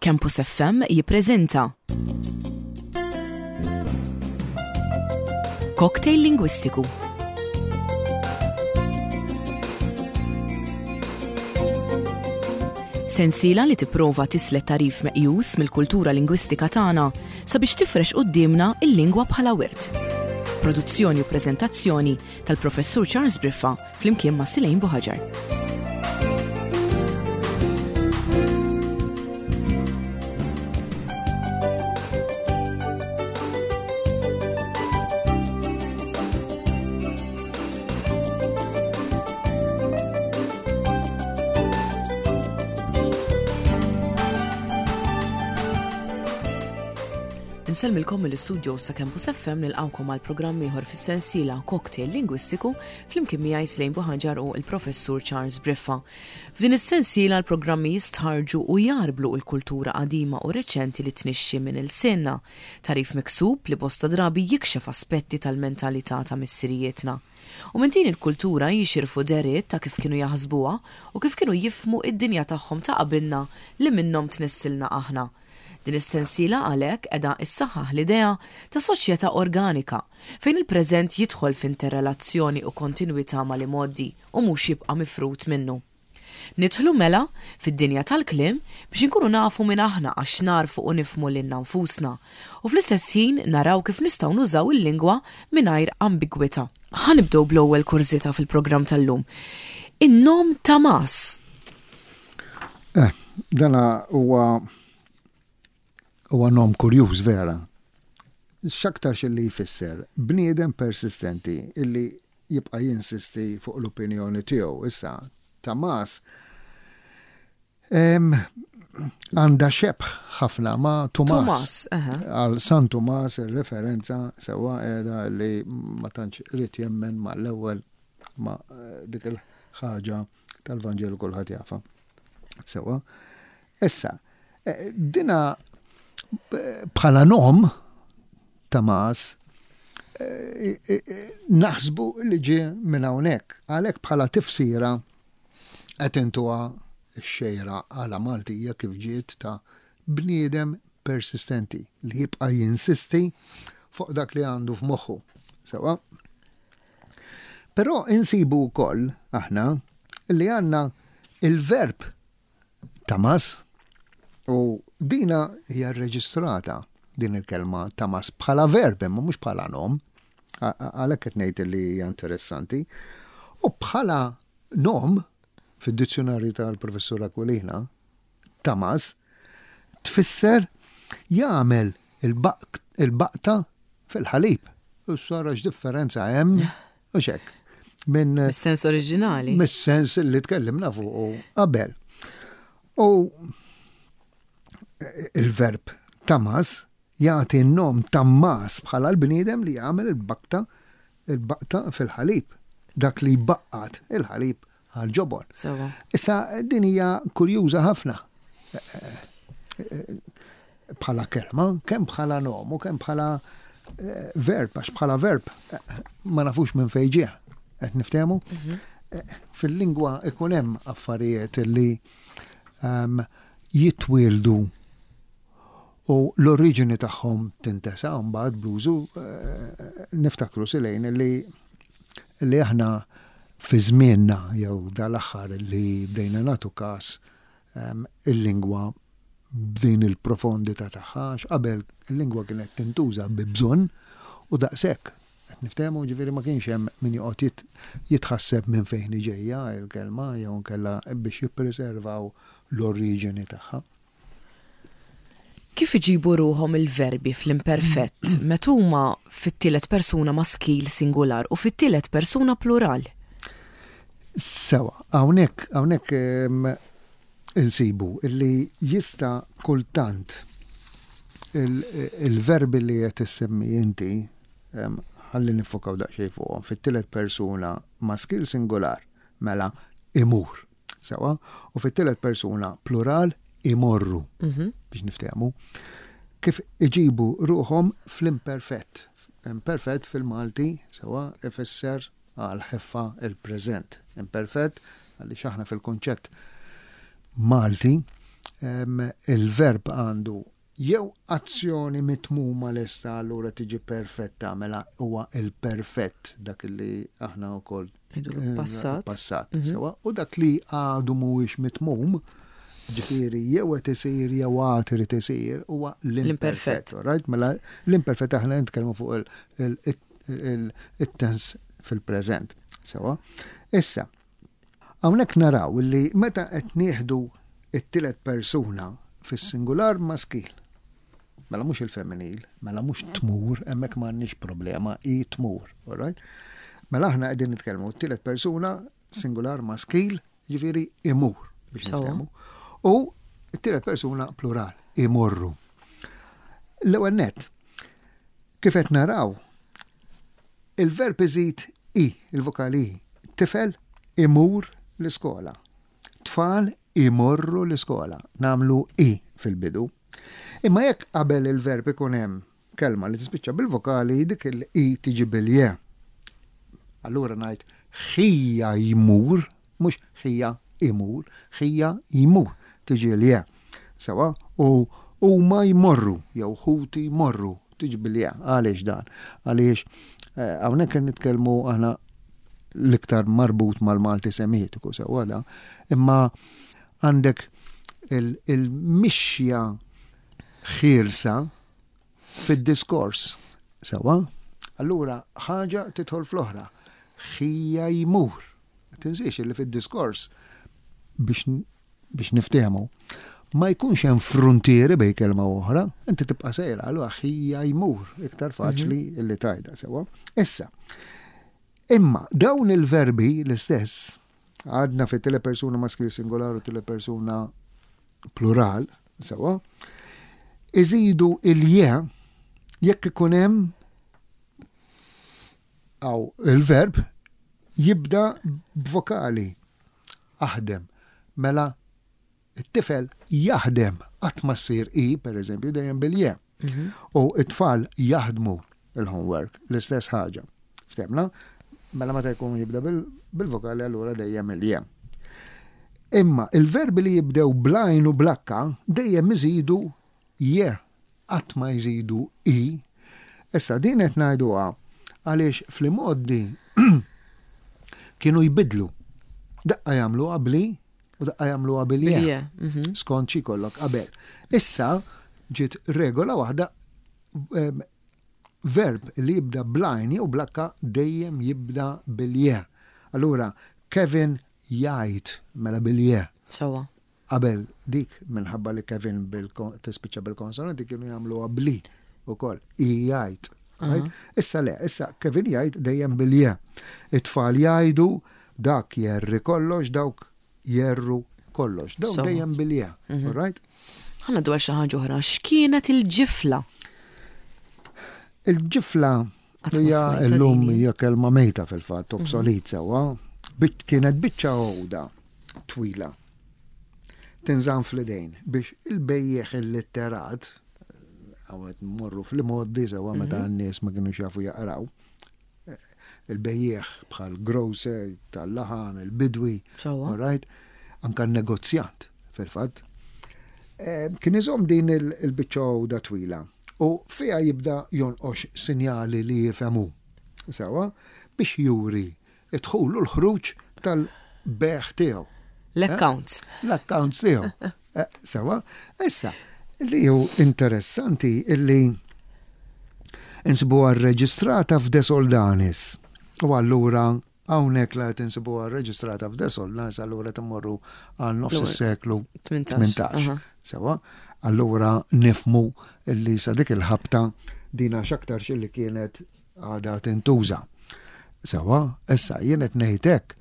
Campus FM jippreżenta Cocktail Lingwistiku. Sensiela li tipprova tislet tagħrif meqjus mill-kultura lingwistika tagħna sabiex tifrex quddiemna l-lingwa bħala wirt. Produzzjoni u preżentazzjoni tal-Professur Charles Briffa flimkien ma' Silejn Buħaġar. Insellmilkom mill-istudio sa Campus FM nilqawkom għal programm ieħor fis-sensiela Cocktail Lingwistiku flimkien miegħi Slejn Buħaġar u l-Professur Charles Briffa. F'din is-sensiela l-programmi jistħarrġu u jgħarblu l-kultura qadima u reċenti li tnixxi minn ilsienna, tagħrif miksub li bosta drabi jikxef aspetti tal-mentalità ta' missirijietna. U minn din il-kultura jixirfu dehriet ta' kif kienu jaħsbuha u kif kienu jifhmu id-dinja tagħhom ta' qabilna li minnhom tnissilna aħna. Din is-sensiela għalhekk qiegħda issaħħaħ l-idea ta' soċjetà organika fejn il-preżent jidħol f'interrelazzjoni u kontinwità mal-imgħoddi u mhux jibqa' mifrud minnu. Nidħlu mela, fid-dinja tal-kliem biex inkunu nafu min aħna għax nagħrfu u nifhmu lilna nfusna u fl-istess ħin naraw kif nistgħu nużaw il-lingwa mingħajr ambigwità. Ħa nibdew bl-ewwel kurżità fil-programm tal-lum. In-nom Tamas. Eh, dana huwa huwa nom kurjuż vera. X'aktarx illi jfisser bniedem persistenti illi jibqa' jinsisti fuq l-opinjoni tiegħu. Issa, Tamas għandha xebh ħafna ma' Tumas. Għal San Tumas ir-referenza sewwa qiegħda li ma tantx irid jemmen mal-ewwel ma' dik il-ħaġa tal-Vanġelu kulħadd jafha. Sewwa. Issa, eh, dina eh, bħala nom Tamas eh, naħsbu li ġie minn hawnhekk. Għalhekk bħala tifsira qed intuha x-xejra għala Maltija kif ġiet ta' bniedem persistenti li jibqa' jinsisti fuq dak li għandu f'moħħu. Sewa. Però insibu wkoll aħna li għandna il-verb tamas u dina hija rreġistrata din il-kelma tamas bħala verb imma mhux bħala nom. Għalhekk qed ngħid li hija interessanti. U bħala nom fid-dizzjonarju tal-Professur Aquilina, tamas tfisser jagħmel il-baqta fil-ħalib. U sara x'differenza hemm u xek. Minn sens oriġinali. Mis-sens li tkellimna fuq qabel. U il-verb tamas jagħti n-nom Tammas bħala l-bniedem li jagħmel il-bakta il-baqta fil-ħalib, dak li jbaqqat il-ħalib għall-ġobon. Sewa. Issa din hija kurjuża ħafna bħala kelma, kemm bħala nom u kemm bħala eh, verb, għax bħala verb eh, ma nafux minn fejn ġie, qed niftehmu. Mhm. Eh, fil-lingwa ikun hemm affarijiet li ehm, jitwieldu u l-oriġini tagħhom tintesa mbagħad bl-użu niftakru silejn li li aħna fi żmienna jew dal-aħħar li bdejna nagħtu każ il-lingwa b'din il-profondità tagħha għax qabel il-lingwa kienet tintuża bi bżonn u daqshekk. Qed niftehmu ġifieri ma kienx hemm min joqgħod jitħasseb minn fejn hi ġejja l-kelma jew inkella biex jippreservaw l-oriġini tagħha. Kif iġibu ruħhom il-verbi fl-imperfett meta huma fit-tielet persuna maskil singular u fit-tielet persuna plural? Sewa, hawnhekk hawnhekk insibu li jista' kultant il-verbi li qed issemmi inti, ħalli niffokaw daqsxejn fuqhom, fit-tielet persuna maskil singular, mela imur. Sewa, u fit-tielet persuna plural imorru mhm. biex niftehmu. Kif iġibu ruħhom fl-imperfett. Imperfett fil-Malti sewa ifisser għal ħeffa il-preżent. Imperfett għaliex aħna fil-kunċett Malti. Il-verb għandu jew azzjoni mitmuma lesta allura tiġi perfetta mela huwa il-perfett dak li aħna wkoll eh, passat. Passat, mhm. sewa, u dak li għadu mhuwiex mitmum, ġifieri jew qed isir jew għad irid isir huwa l-imperfett. Right? Mela l-imperfett aħna nitkellmu fuq il-tens fil-preżent. Sewa. Issa, Hawnhekk naraw li meta qed nieħdu t-tielet persuna fis-singular maskil, mela mhux il-femminil, mela mhux tmur, hemmhekk m'għandniex problema, hi tmur, all right? Mela aħna qegħdin nitkellmu t-tielet persuna singular maskil, jiġifieri imur biex niftehmu. U t-tielet persuna plural, imorru. L-ewwel nett, kif qed naraw, Il-verb iżid i, il-vokali i. Tifel imur l-iskola. Tfal imorru l-iskola. Nagħmlu i fil-bidu. Imma jekk qabel il-verb ikun hemm kelma li tispiċċa bil-vokali, dik il-i tiġi bil-je. Allura ngħid ħija jmur Mhux ħija imur, ħija jmur, tiġi l-je. Sewwa? U huma jmorru, jew ħuti jmorru, tiġi bil-je. Għaliex dan? Għaliex eh, hawnhekk qed nitkellmu aħna l-iktar marbut mal-Malti Semitiku, sewwa da, imma għandek il-mixja ħielsa fid-diskors. Sewwa? Allura ħaġa tidħol fl-oħra. Ħija jmur. Tinsiex li fid-diskors biex biex niftehmu ma jkunx hemm fruntieri bejn kelma u oħra, inti tibqa' sejra, allura ħija jmur iktar faċli mhm. li tajda sewwa. Issa, imma dawn il-verbi l-istess għadna fit tele persuna maskil singolar u tele persuna plural, sewwa, iżidu il-je jekk ikun hemm Aw il-verb jibda b'vokali, aħdem. Mela t-tifel jaħdem, qatt ma ssir i, pereżempju, dejjem bil-je. Mhm. U t-tfal jaħdmu il-homework, l-istess ħaġa. Ftemna? Mela meta jkun jibda bil-vokali allura dejjem il-je. Imma il-verbi li jibdew blajn u blakka dejjem iżidu Je, qatt ma jżidu i. Issa din qed ngħiduha għaliex fl-imgħoddi kienu jbiddlu. Daqqa jagħmluha bl-i u daqqa jagħmluha bil-je. Mhm. Skont xi jkollok qabel. Issa ġiet regola waħda verb li jibda bl-għajn jew bl-akka dejjem jibda bil-je. Allura Kevin jgħid mela bil-je. Sewwa. Qabel dik, minħabba li Kevin tispiċċa bil-konsonanti kienu jagħmluha bl-i ukoll, i jgħid. Issa le, issa Kevin jgħid dejjem bil-je. It-tfal jgħidu dak jerri kollox, dawk jerru kollox. Dawk dejjem bil-je, mhm. right? Ħanna dwar xi ħaġa oħra, x'kienet il-ġifla? Il-ġifla hija llum hija kelma mejta fil-fatt, mhm. obsolit sewwa. Kienet biċċa għoda twila tinżamm fl-idejn biex il-bejjiegħ illitterat, hawn qed mmorru fl-imgħoddi sewwa meta mhm. n-nies ma kinux jafu jaqraw, il-bejjiegħ bħal grocer tal-laħam, il-bidwi, right? Anka n-negozjant fil-fatt. Eh, kien iżomm din il-biċċa għoda twila u fiha jibda jonqox sinjali li jifhemu. Sewa biex juri id-dħul u l-ħruġ tal-bejgħ tiegħu. L-accounts. L-accounts tiegħu. Eh, sewa, issa, li hu interessanti illi insibuha rreġistrata f'De Soldanis. U allura hawnhekk la qed insibuha rreġistrata f'De Soldanis allura timmorru għal nofs is-seklu 18. Sewa, allura nifmu illi sa dik il-ħabta dina x'aktarx illi kienet għadha tintuża. Sewwa, issa jien qed ngħid hekk,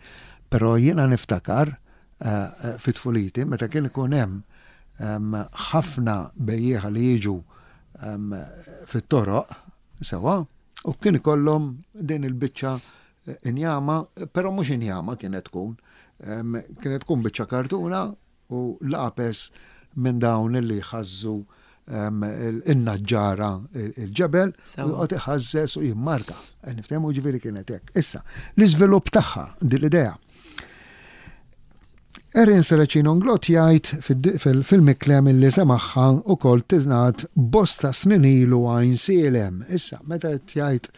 però jiena niftakar eh, eh, fi tfuliti meta kien ikun hemm ehm, ħafna bejjieħa li jiġu ehm, fit-toroq, sewwa, u kien ikollhom din il-biċċa eh, injama, però mhux injama kienet tkun, ehm, kienet tkun biċċa kartuna U lapes minn dawn li jħażżu in-naġġara il-ġebel u joqgħod iħażżeż u jimmarka. Niftehmu ġifieri kienet hekk. Issa, l-iżvilupp tagħha din l-idea. Erin Serracino Inglott jgħid fil-Miklem illi semagħha ukoll tingħad bosta snin ilu Għajnsielem. Issa, meta qed jgħid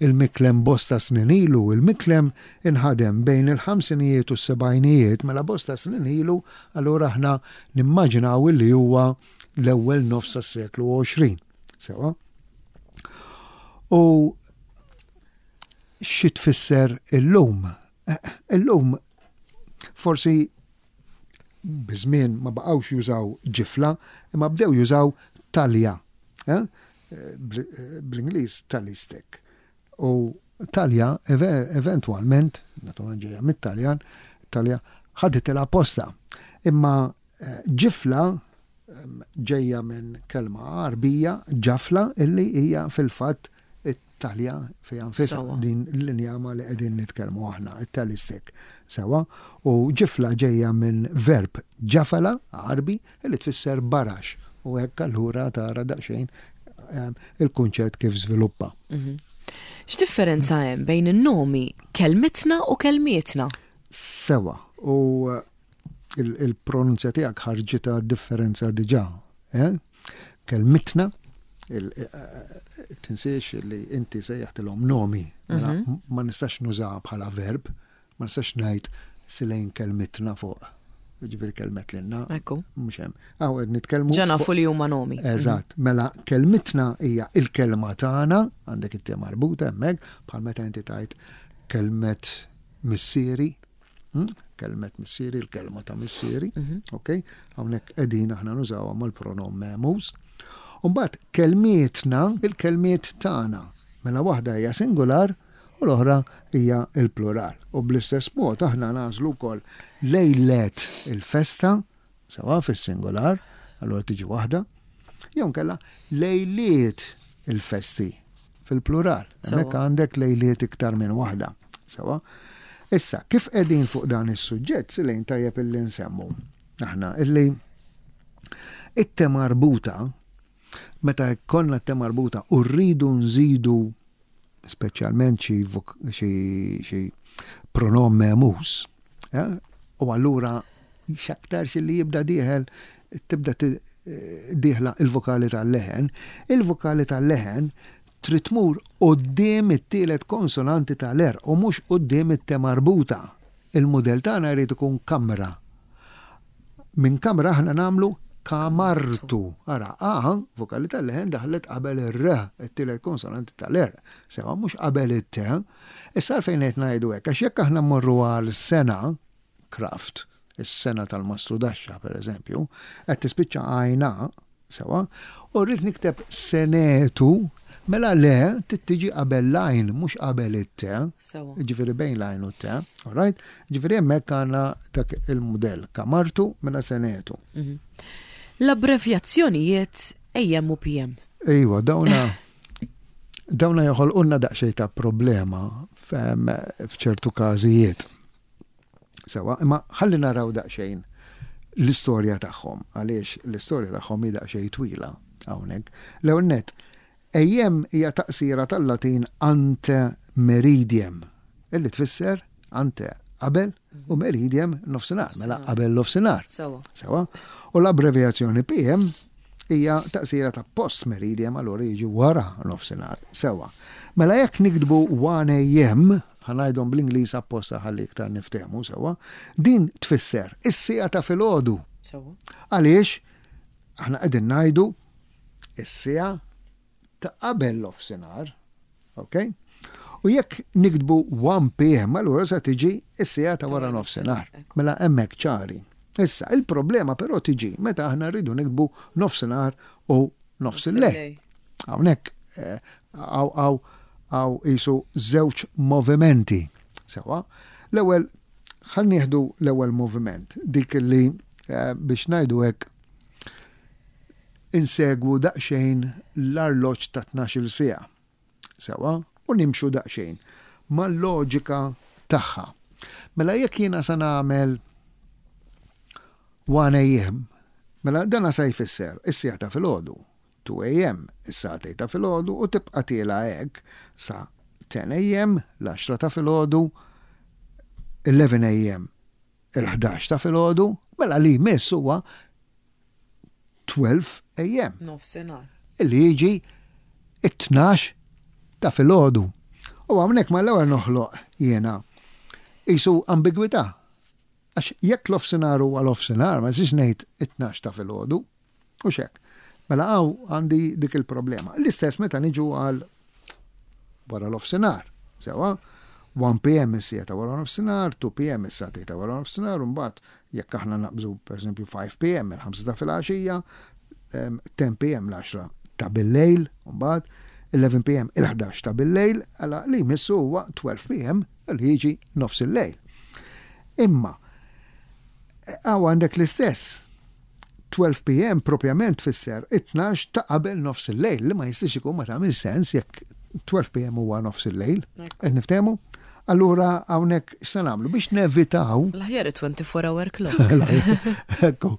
il-Miklem bosta snin ilu, il-Miklem inħadem bejn il-ħamsinijiet u s-sebgħinijiet, mela bosta snin ilu, allura aħna nimmaġinaw illi huwa l-ewwel nofs tas-seklu 20. Sewa? U xi tfisser illum? Illum forsi biż-żmien ma baqgħux jużaw ġifla, imma bdew jużaw talja. Eh? Bl-Ingliż tally stick. U talja eventwalment, naturalment ġejja mit-Taljan, talja ħaditilha posta. Imma eh, ġifla ġejja minn kelma Għarbija, ġafla, illi hija fil-fatt it-talja fiha nfisha, din l-injama li qegħdin nitkellmu aħna, it-tally stick. Sewwa, u ġifla ġejja minn verb ġafala, Għarbi, illi tfisser barax, u hekk allura tara daqsxejn il-kunċett kif żviluppa. Mhm. X'differenza hemm bejn in-nomi kelmitna u kelmietna? Sewwa, u il-pronunzja tiegħek ħarġitha differenza diġà. Eh? Kelmitna, eh, eh, tinsiex li inti sejjaħtilhom nomi, mela mhm. ma nistax nuża bħala verb, ma nistax ngħid silejn kelmitna fuq. Ġifieri kelmet lilna. Ekku. Mhux hemm. Aw qed nitkellmu. Ġa nafu li huma nomi. Eżatt. Mhm. Mela kelmitna hija il-kelma tagħna, għandek it-te marbuta hemmhekk, bħal meta inti tajt kelmet missieri, Hmm? Kelmet missieri, il-kelma ta' missieri, mhm. ok? Hawnhekk qegħdin aħna nużawha mal-pronom memus. Umbagħad kelmietna, il-kelmiet tagħna. Mela waħda hija singular u l-oħra hija il-plural. U bl-istess mod aħna nagħżlu wkoll lejlet il-festa, Sewa fis-singular, allura tiġi waħda, jew nkella lejliet il-festi fil-plural. Hemmhekk għandek lejliet iktar minn waħda. Sewa. Issa, kif qegħdin fuq dan is-suġġett, silejn tajjeb illi nsemmu aħna illi it-te marbuta meta jkollna t-te marbuta u rridu nżidu speċjalment xi pronom memus, eh, u allura x'aktarx li jibda dieħel tibda dieħla il-vokali tal-leħen, il-vokali tal-leħen trid tmur quddiem it-tielet konsonanti tal-għerq u mhux quddiem it-te marbuta. Il-mudell tagħna jrid ikun kamra. Minn kamra aħna nagħmlu kamartu. Ara, a, vokali tal-leħen daħlet qabel ir-r, it-tielet konsonanti tal-r. Sewa mhux qabel it-t. Issa għalfejn qed ngħidu hekk? Għax jekk aħna mmorru għal sena, craft, is-sena tal-mastrudaxxa pereżempju, qed tispiċċa għajna, Sewwa? U rrid nikteb senetu, mela le trid tiġi qabel l-għajn mhux qabel it-te. Sewwa. Jiġifieri bejn l-għajn u t-te. All right? Jiġifieri hemmhekk għandna dak il-mudell. Kamartu mela senetu. Mhm. L-abbrevjazzjonijiet AM u PM. Ejwa, dawna dawna joħolqulna daqsxejn ta' problema f'ċertu każijiet. Sewwa, imma ħalli naraw daqsxejn l-istorja tagħhom, għaliex l-istorja tagħhom hi daqsxejn twila hawnhekk. L-ewwel nett, AM hija taqsira tal-Latin ante meridiem, illi tfisser ante qabel u meridiem nofsinhar, mela qabel nofsinhar. Sewwa. Sewwa. U l-abbrevjazzjoni PM hija taqsira ta' post meridiem, allura jiġi wara nofsinhar. Sewwa. Mela jekk niktbu 1 AM, Ħa ngħidhom bl-Ingliż apposta ħalli iktar niftehmu sewwa. Din tfisser is-siegħa ta' filgħodu. Sewwa. Għaliex aħna qegħdin ngħidu is-siegħa ta' qabel l-offsinhar, ok? U jekk niktbu 1 PM allura se tiġi is-siegħa ta' wara nofsinhar. Mela hemmhekk ċari. Issa, il-problema però tiġi meta aħna rridu niktbu nofsinhar u nofs il-lejl. Hawnhekk eh, Hawn hawn qisu żewġ movimenti. Sewwa. L-ewwel ħa nieħdu l-ewwel moviment, dik li eh, biex ngħidu hekk insegwu daqsxejn l-arloġġ ta' 12-il siegħa. Sewwa, u nimxu daqsxejn mal-loġika tagħha. Mela jekk jiena sa nagħmel 1 AM, mela dana sa jfisser is-siegħa ta' filgħodu. 2 AM, is-sagħtejn ta' filgħodu u tibqa' tiela' hekk sa 10 AM, l-għaxra ta' filgħodu, 11 AM. il-11 ta' filgħodu, mela li jmiss huwa 12 AM. Nofsinhar. Illi jiġi it-12 ta' filgħodu. U hawnhekk mal-ewwel noħloq jiena qisu ambigwità. Għax jekk l-ofsinhar huwa l-ofsinhar, ma nistax ngħid it-12 ta' filgħodu. Hux hekk. Mela hawn għandi dik il-problema. L-istess meta niġu għal wara l-ofsinhar. Sewa, 1 PM is-siegħa ta' wara nofsinhar, 2 PM is-sagħtejn ta' wara nofsinhar, u mbagħad jekk aħna naqbżu pereżempju 5 PM il-ħamsa ta' filgħaxija, 10 PM l-għaxra ta' billejl, u mbagħad 11 PM il-ħdax ta' billejl, għala li jmissu huwa 12 PM li jiġi nofs il-lejl. Imma hawn għandek l-istess 12 PM propjament tfisser it-tnax ta' qabel nofs il-lejl, li ma jistax ikun ma tagħmilx sens jekk 12 PM huwa nofs il-lejl. Qed niftehmu? Allura hawnhekk x'se nagħmlu biex nevitaw. L-aħjar 24 hour clock. Ekku,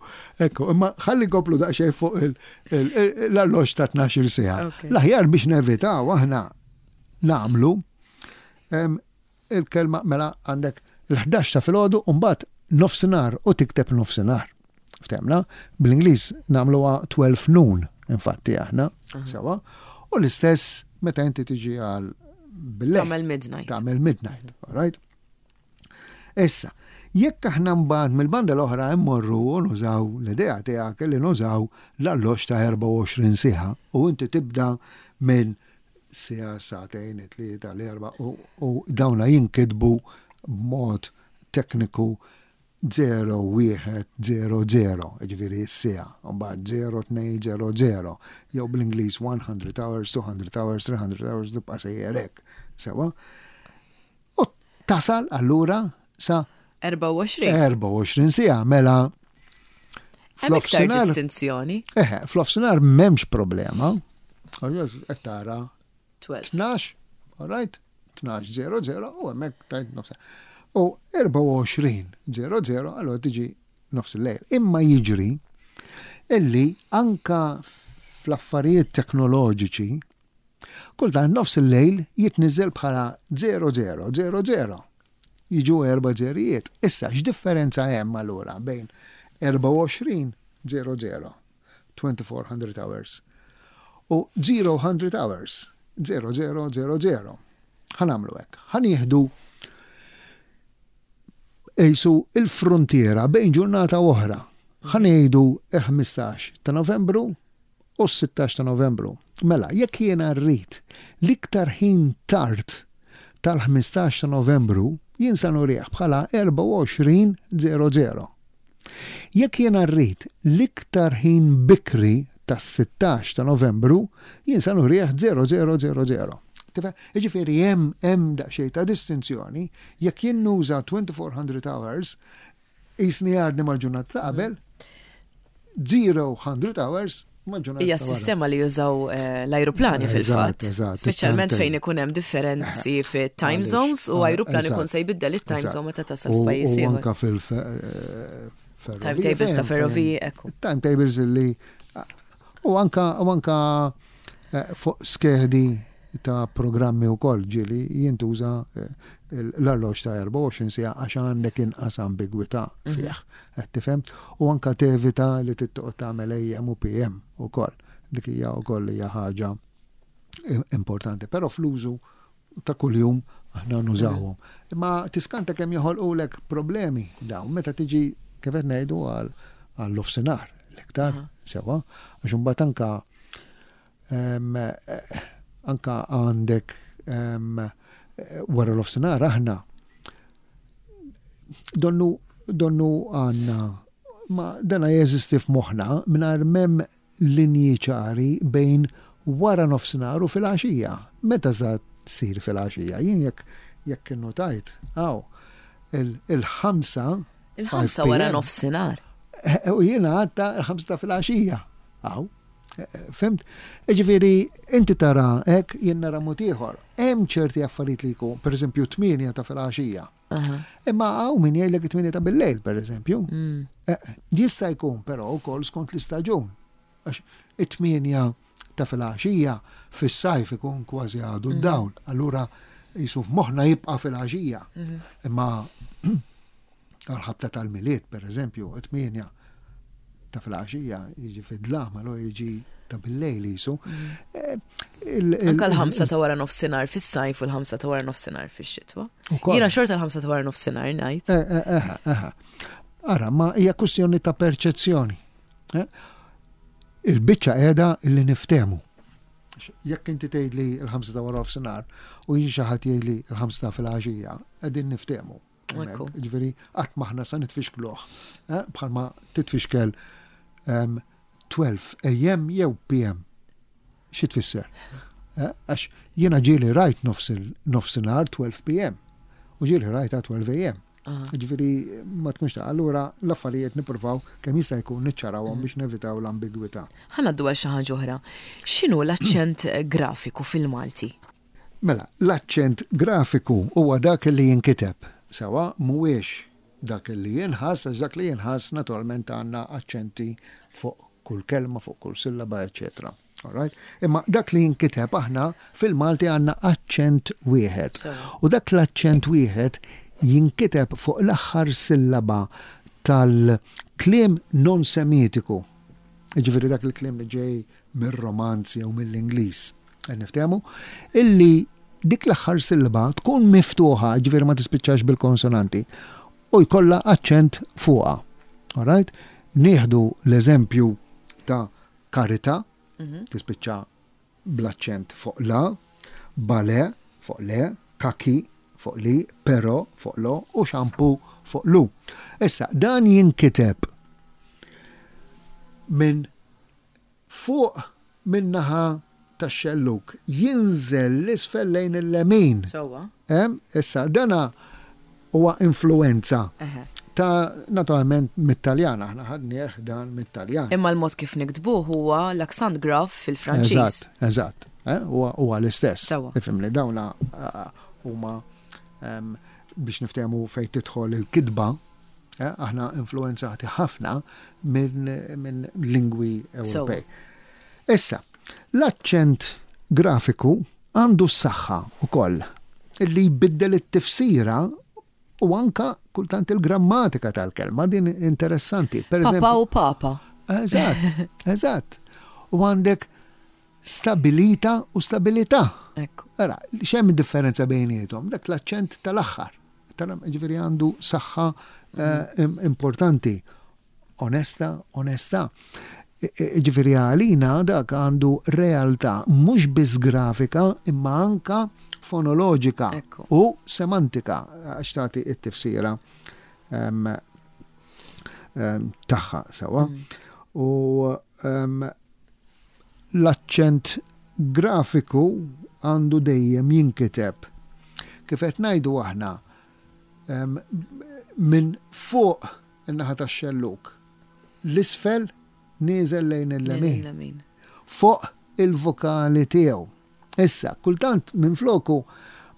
ekku, imma ħalli nkomplu daqsxejn fuq l-alloġġ ta' 12 siegħa. L-aħjar biex nevitaw aħna nagħmlu Il-kelma mela għandek l-11 ta' filgħodu u mbagħad nofsinhar u tikteb nofsinhar. Ftemna, bl-Ingliż nagħmluha 12 noon infatti aħna, sewa. U l-istess meta inti tiġi għal bil Tagħmel midnight. Tagħmel midnight, all right? Issa, jekk aħna mbagħad mill-banda l-oħra immorru u nużaw l-idea tiegħek li nużaw l-alloġġ ta' 24 siegħa u inti tibda minn siegħa, sagħtejn, it-tlieta, l-erbgħa u dawna jinkitbu b'mod tekniku 0, 1, 0, 0, jiġifieri s-siegħa, u mbagħad 0, 2, 0, 0, jew bl-Ingliż 100 hours, 200 hours, 300 hours, tibqa' sejjer hekk. Sewwa? U tasal allura sa 24. 24 siegħa mela Hemm iktar distinzjoni. Eħe, fl-offsinar m'hemmx problema. Qed tara 12, all right? 12:00 u hemmhekk tajt nofs. U 24:00 allura tiġi nofs il-lejl. Imma jiġri illi anka fl-affarijiet teknoloġiċi Kultant nofs il-lejl jitniżżel bħala 0000. Jiġu erba' żerijiet. Issa x'differenza hemm allura bejn 24:00, 2400 hours, u 000 hours, 0000? Ħa nagħmlu hekk. Ħa nieħdu qisu l-fruntiera bejn ġurnata u oħra. Ħa ngħidu il-15 ta' Novembru u s-16 ta' Novembru. Mela, jekk jiena rrid l-iktar ħin tard tal-15 ta' Novembru, jien sa nurih bħala 24:00. Jekk jiena rrid l-iktar ħin bikri tas-16 ta' Novembru, jien sa nurih 0000. Tifhem? Jiġifieri hemm hemm daqsxejn ta' distinzjoni jekk jien nuża 2400 hours Qisni għadni mal-ġurnata ta' qabel, 000 hours mal-ġurnata. Hija s-sistema li jużaw eh, l-ajruplani fil-fatt. Speċjalment fejn ikun hemm differenzi eh, fit-time zones u ajruplan ikun se jbiddel it-time zone meta tasal f'pajjiż ieħor. Anka fil eh, Timetables ta' ferroviji, ekku. Timetables li u anka u anka fuq skedi ta' programmi wkoll ġieli jintuża l-arloġġ ta' 24 siegħa għax għandek inqas ambigwità fih, qed tifhem? U anke tevita li trid toqgħod tagħmel AM u PM ukoll. Dik hija wkoll hija ħaġa importanti. Però fl-użu ta' kuljum aħna nużawhom. Imma tiskanta kemm joħolqulek problemi dawn meta tiġi kif qed ngħidu għall-offsinar l-iktar sewwa għax imbagħad anke Anka għandek wara l-ofsinhar aħna donnu donnu għandna ma dana jeżisti f'moħħna mingħajr m'hemm linji ċari bejn wara nofsinhar u filgħaxija. Meta sa tsir filgħaxija? Jien jekk jekk innotajt hawn il-ħamsa Il-ħamsa wara nofsinhar. U jiena għadta il-ħamsa ta' filgħaxija. Hawn. Fimt? Ġifieri, inti tara hekk jien nara mod ieħor. Hemm ċerti affarijiet li jkun, pereżempju 8 ta' filgħaxija. Imma hawn min jgħidlek 8 ta' billejl, pereżempju. Mm. Eh, jista' jkun però wkoll skont l-istaġun. Għax it-8 ta' filgħaxija fis-sajf ikun kważi għadu mm. d-dawl. Allura jisu f'moħħna jibqa' filgħaxija. Mm-hmm. Imma Għal-ħabta tal-Milied, per eżempju, 8 ta' filgħaxija jiġi fid-dlam, allura jiġi ta' bil-lejl jisu. Mm. Eh, Anka l-ħamsa ta' wara nofsinhar fis-sajf u l-ħamsa ta' wara nofsinhar fix-xitwa. Jiena xorta l-ħamsa ta' wara nofsinhar ngħid. Eh, eh, Ara, ma hija kwestjoni ta' perċezzjoni. Il-biċċa qiegħda li niftehmu. Jekk inti tgħidli l-ħamsa ta' wara nofsinhar u jiġi xi ħadd jgħidli l-ħamsa ta' filgħaxija, qegħdin niftehmu. Ġifieri qatt m'aħna sa nitfixkluh. Eh, bħalma titfixkel 12 AM jew PM. Xi tfisser? Eh, għax jiena ġieli rajt nofsinhar 12 PM u ġieli rajta 12 AM. Ġifieri ma tkunx ta' allura l-affarijiet nippruvaw kemm jista' jkun niċċarawhom mm. biex nevitaw l-ambigwità. Ħa ngħaddu għal xi ħaġa oħra. X'inhu l-aċċent grafiku fil-Malti? Mela, l-aċċent grafiku huwa dak li jinkiteb sewwa mhuwiex dak li jinħass għax dak li jinħass naturalment għandna aċċenti fuq kull kelma, fuq kull sillaba, eċċetera. Alright? Imma dak li jinkiteb aħna fil-Malti għandna aċċent wieħed. U dak l-aċċent wieħed jinkiteb fuq l-aħħar sillaba tal-kliem non-Semitiku. Jiġifieri dak il-kliem li ġej mir-Romanz jew mill-Ingliż. Qed niftehmu? Illi dik l-aħħar sillaba tkun miftuħa, jiġifieri ma tispiċċax bil-konsonanti, u jkollha aċċent fuqha. Alright? Nieħdu l-eżempju ta' karità, mhm. tispiċċa bl-aċċent fuq la, bale fuq le, kaki fuq li, pero fuq lo u xampu fuq lu. Issa, dan jinkiteb minn fuq min-naħa tax-xellug jinżel 'l isfel lejn il-lemin. Sewwa. Issa, dana huwa influwenza ta' naturalment mit-Taljan, aħna ħadnieh dan mit-Taljan. Imma l-mod kif niktbuh huwa l-accent grave fil-Franċiż. Eżatt, eżatt. Huwa l-istess. Sewwa. Ifhimni, dawna huma biex niftehmu fejn tidħol il-kitba, Aħna influwenzati ħafna minn lingwi Ewropej. Issa, l-aċċent grafiku għandu s-saħħa wkoll li jbiddel it-tifsira u anka kultant il-grammatika tal-kelma din interessanti. Per Papa u papa. Eżatt, eżatt. U għandek stabilita u stabilità. Ekku. Ara, x'hemm differenza bejniethom? Dak l-aċċent tal-aħħar. Tara, ġifieri għandu saħħa eh, importanti. Onesta, onesta. Ġifieri għalina dak għandu realtà mhux biss grafika imma anka fonoloġika u semantika għax tagħti t-tifsira ehm, ehm, tagħha sewwa. Mm. U ehm, L-aċċent grafiku għandu dejjem jinkiteb, kif qed ngħidu aħna, minn fuq in-naħa tax-xellug 'l isfel nieżel lejn il-lemin, fuq il-vokali tiegħu. Issa, kultant minfloku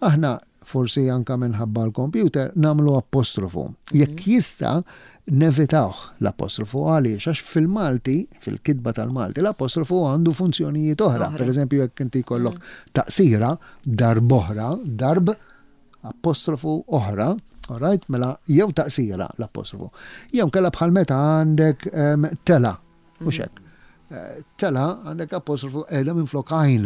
aħna, forsi anke minħabba l-kompjuter, nagħmlu apostrofu. Jekk jista' nevitawh l-apostrofu għaliex? Għax fil-Malti, fil-kitba tal-Malti, l-apostrofu għandu funzjonijiet oħra. Per eżempju, jekk inti jkollok taqsira, darb'oħra, darb, apostrofu oħra, alright, mela jew taqsira l-apostrofu. Jew kella bħal meta għandek tela, Mhux hekk. Eh, tela għandek apostrofu qiegħda minn flok għajn.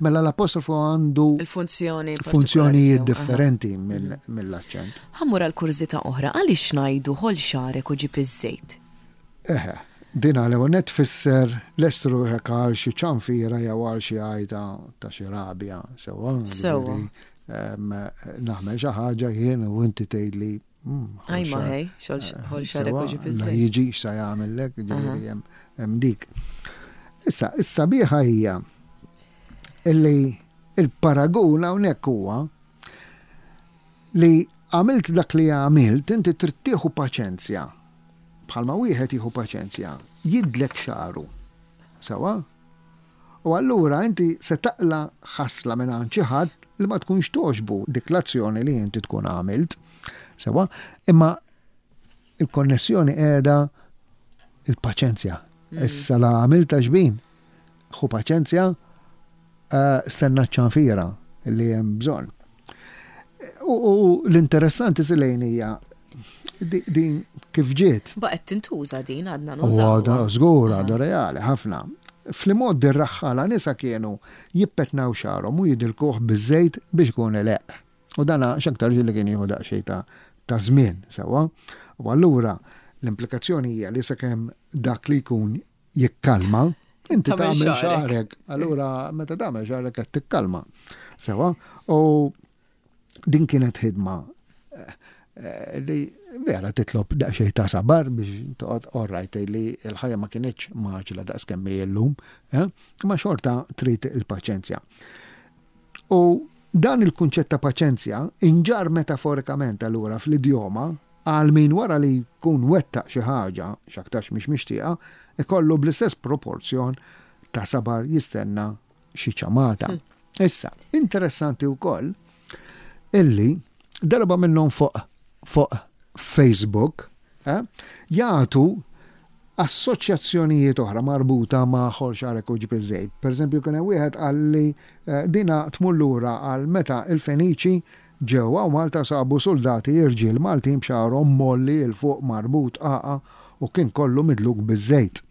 Mela l-apostrofu għandu il-funzjoni funzjonijiet differenti mhm. mill-aċċent. Ħammur għal kurżità oħra, għaliex ngħidu ħol xarek u ġib iż-żejt? Eħe, din għal net fisser lestru ruħek għal xi ċanfira jew għal xi għajta ta' xi rabja, sewwa. Sewwa. Naħmel xi ħaġa jien u inti tgħidli Aj ma ħej, xol xarek u ġib La jiġi x'sa jagħmellek, ġifieri hemm dik. Issa, is-sabiħa hija illi il-paragun hawnhekk huwa li għamilt dak li għamilt, inti trid tieħu paċenzja. Bħalma wieħed jieħu paċenzja, jidlek xagħru. Sawa? U allura inti se taqla' ħasla mingħand xi ħadd li ma tkunx togħġbu dik l-azzjoni li inti tkun għamilt. Sewwa? Imma il-konnessjoni qiegħda il-paċenzja. Mm. Issa la għamilta xbin, ħu paċenzja, eh, stenna ċanfira li hemm bżonn. U l-interessanti silejn hija Din kif ġiet? Baqgħet tintuża din għadna nużawha. Għadha żgur għadha reali ħafna. Fl-imgħoddi r-raħħala nisa kienu jippetnaw xagħarhom u jidilkuh biż-żejt biex ikun ileqq. U dana x'aktarx li kien jieħu daqsxejn ta' ta' żmien, sewwa. U allura l-implikazzjoni hija li sakemm dak li jkun jikkalma, inti tagħmel xagħrek. Allura meta tagħmel xagħrek qed tikkalma. Sewwa. U din kienet ħidma eh, eh, li vera titlob daqsxejn ta' sabar biex toqgħod orrajt li l-ħajja ma kinitx maġla daqs kemm hi llum, eh, imma xorta trid il-paċenzja. U dan il-kunċett ta' paċenzja inġarr metaforikament allura fl-idjoma għal min wara li jkun wettaq xi ħaġa, x'aktarx mhix mixtieqa, ikollu bl-istess proporzjon ta' sabar jistenna xi ċamata. Issa, interessanti wkoll illi darba minnhom fuq fuq Facebook eh, jagħtu assoċjazzjonijiet oħra marbuta ma' ħol xagħrek u ġib iż-żejt. Pereżempju kien hemm wieħed qal li eh, dina tmur lura għal meta il-Feniċi ġew hawn Malta sabu suldati irġiel Maltin b'xagħarhom mgħolli 'l fuq marbut għaqa u kien kollu midluk biż-żejt.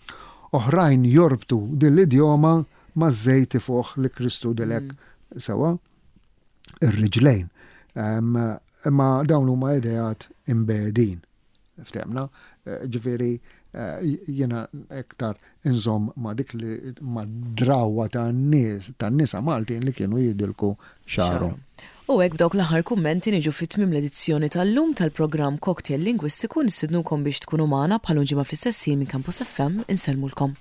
Oħrajn jorbtu din l-idjoma maż-żejt ifuħ li Kristu dilek sewwa ir-riġlejn. Imma dawn huma ideat imbegħdin. Ftehmna? Ġifieri jiena iktar inżomm ma' dik li ma' drawwa tan-nies tan-nisa Maltin li kienu jidilku xagħarhom. U hekk b'dawk l-aħħar kummenti niġu fi tmiem l-edizzjoni tal-lum tal-programm Cocktail Lingwistiku nistidnukom biex tkunu magħna bħal ġimgħa fl-istess ħin minn Campus FM insellmulkom.